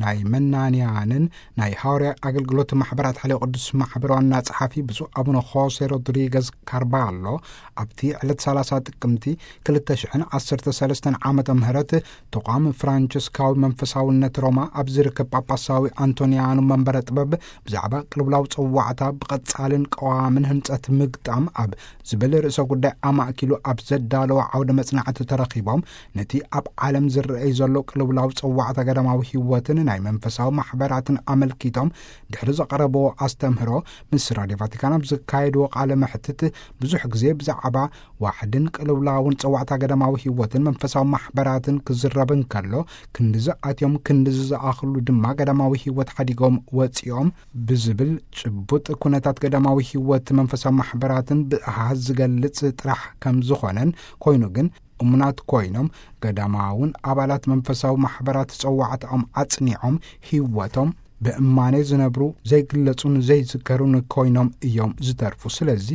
ናይ መናንያንን ናይ ሃዋርያ ኣገልግሎት ማሕበራት ሓልዮ ቅዱስ ማሕበር ዋና ጸሓፊ ብፁዕ ኣቡነ ሆሴ ሮድሪገዝ ካርባሎ፣ ኣብቲ ዕለት ሰላሳ ጥቅምቲ ክልተ ሽሕን ዓሰርተ ሰለስተን ዓመተ ምህረት ተቋም ፍራንቸስካዊ መንፈሳውነት ሮማ ኣብ ዝርከብ ጳጳሳዊ ኣንቶንያኑ መንበረ ጥበብ ብዛዕባ ቅልውላው ጸዋዕታ ብቐጻልን ቀዋምን ህንጸት ምግጣም ኣብ ዝብል ርእሰ ጉዳይ ኣማእኪሉ ኣብ ዘዳለወ ዓውደ መጽናዕቲ ተረኺቦም፣ ነቲ ኣብ ዓለም ዝረኣይ ዘሎ ቅልውላው ጸዋዕታ ገዳማዊ ህይወትን ናይ መንፈሳዊ ማሕበራትን ኣመልኪቶም ድሕሪ ዘቐረብዎ ኣስተምህሮ፣ ምስ ራድዮ ቫቲካን ኣብ ዘካየድዎ ቃለ መሕትት፣ ብዙሕ ግዜ ብዛዕባ ዋሕድን ቅልውላውን ጸዋዕታ ገዳማዊ ህይወትን መንፈሳዊ ማሕበራትን ክዝረብ እንከሎ፣ ክንድዚ ኣትዮም ክንድዚ ዝኣኽሉ ድማ ገዳማዊ ህይወት ሓዲጎም ወጺኦም ብዝብል ጭቡጥ ኩነታት ገዳማዊ ህይወት መንፈሳዊ ማሕበራትን ብኣሃዝ ዝገልጽ ጥራሕ ከም ዝኾነን፣ ኮይኑ ግን እሙናት ኮይኖም ገዳማውን ኣባላት መንፈሳዊ ማሕበራት ጸዋዕታኦም ኣጽኒዖም ህይወቶም ብእማኔ ዝነብሩ ዘይግለጹን ዘይዝከሩን ኮይኖም እዮም ዝተርፉ። ስለዚ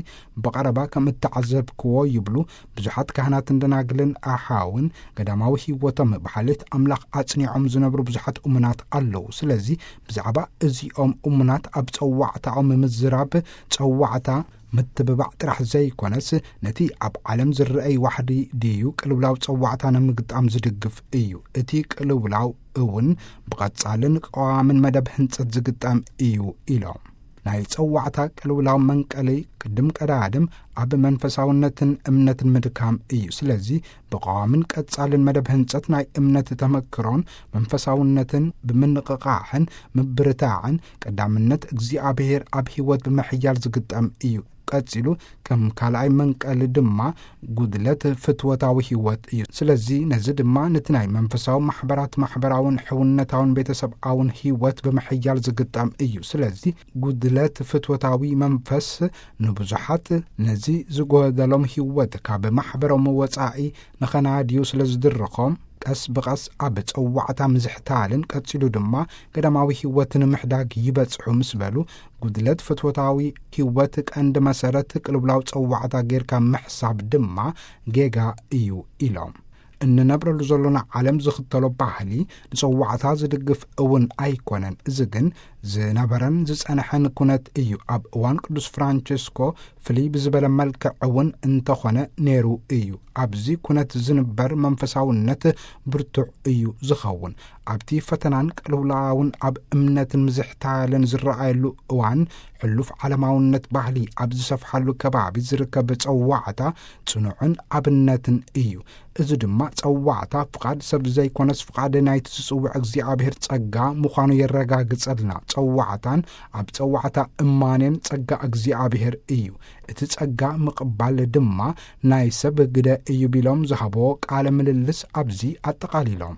ብቐረባ ከም እተዓዘብክዎ ይብሉ ብዙሓት ካህናትን ደናግልን ኣሓውን ገዳማዊ ህይወቶም ብሓልዮት ኣምላኽ ኣጽኒዖም ዝነብሩ ብዙሓት እሙናት ኣለዉ። ስለዚ ብዛዕባ እዚኦም እሙናት ኣብ ጸዋዕታኦም ምዝራብ ጸዋዕታ ምትብባዕ ጥራሕ ዘይኮነስ፣ ነቲ ኣብ ዓለም ዝረኣይ ዋሕዲ ድዩ ቅልውላው ጸዋዕታ ንምግጣም ዝድግፍ እዩ። እቲ ቅልውላው እውን ብቐጻልን ቀዋምን መደብ ህንጸት ዝግጠም እዩ ኢሎም። ናይ ጸዋዕታ ቅልውላው መንቀሊ ቅድም ቀዳድም ኣብ መንፈሳውነትን እምነትን ምድካም እዩ። ስለዚ ብቐዋምን ቀጻልን መደብ ህንጸት ናይ እምነት ተመክሮን መንፈሳውነትን ብምንቕቓሕን ምብርታዕን ቀዳምነት እግዚኣብሔር ኣብ ህይወት ብምሕያል ዝግጠም እዩ። ቀጺሉ ከም ካልኣይ መንቀሊ ድማ ጉድለት ፍትወታዊ ህይወት እዩ። ስለዚ ነዚ ድማ ነቲ ናይ መንፈሳዊ ማሕበራት ማሕበራውን ሕውነታውን ቤተሰብኣውን ህይወት ብምሕያል ዝግጠም እዩ። ስለዚ ጉድለት ፍትወታዊ መንፈስ ንብዙሓት ነዚ ዝጎደሎም ህይወት ካብ ማሕበሮም ወጻኢ ንኸናድዩ ስለ ዝድርኾም፣ ቀስ ብቐስ ኣብ ጸዋዕታ ምዝሕታልን ቀጺሉ ድማ ገዳማዊ ህይወት ንምሕዳግ ይበጽሑ ምስ በሉ፣ ጉድለት ፍትወታዊ ህይወት ቀንዲ መሰረት ቅልውላው ጸዋዕታ ጌርካ ምሕሳብ ድማ ጌጋ እዩ ኢሎም። እንነብረሉ ዘሎና ዓለም ዝኽተሎ ባህሊ ንጸዋዕታ ዝድግፍ እውን ኣይኮነን። እዚ ግን ዝነበረን ዝጸንሐን ኩነት እዩ። ኣብ እዋን ቅዱስ ፍራንቸስኮ ፍልይ ብዝበለ መልክዕ እውን እንተኾነ ነይሩ እዩ። ኣብዚ ኩነት ዝንበር መንፈሳውነት ብርቱዕ እዩ ዝኸውን። ኣብቲ ፈተናን ቅልውላውን ኣብ እምነትን ምዝሕታልን ዝረኣየሉ እዋን፣ ሕሉፍ ዓለማውነት ባህሊ ኣብ ዝሰፍሓሉ ከባቢ ዝርከብ ጸዋዕታ ጽኑዕን ኣብነትን እዩ። እዚ ድማ ጸዋዕታ ፍቓድ ሰብ ዘይኮነስ ፍቓድ ናይቲ ዝጽውዕ እግዚኣብሔር ጸጋ ምዃኑ የረጋግጸልና። ጸዋዕታን ኣብ ጸዋዕታ እማኔን ጸጋ እግዚኣብሔር እዩ። እቲ ጸጋ ምቕባል ድማ ናይ ሰብ ግደ እዩ ቢሎም ዝሃቦ ቃለ ምልልስ ኣብዚ ኣጠቓሊሎም።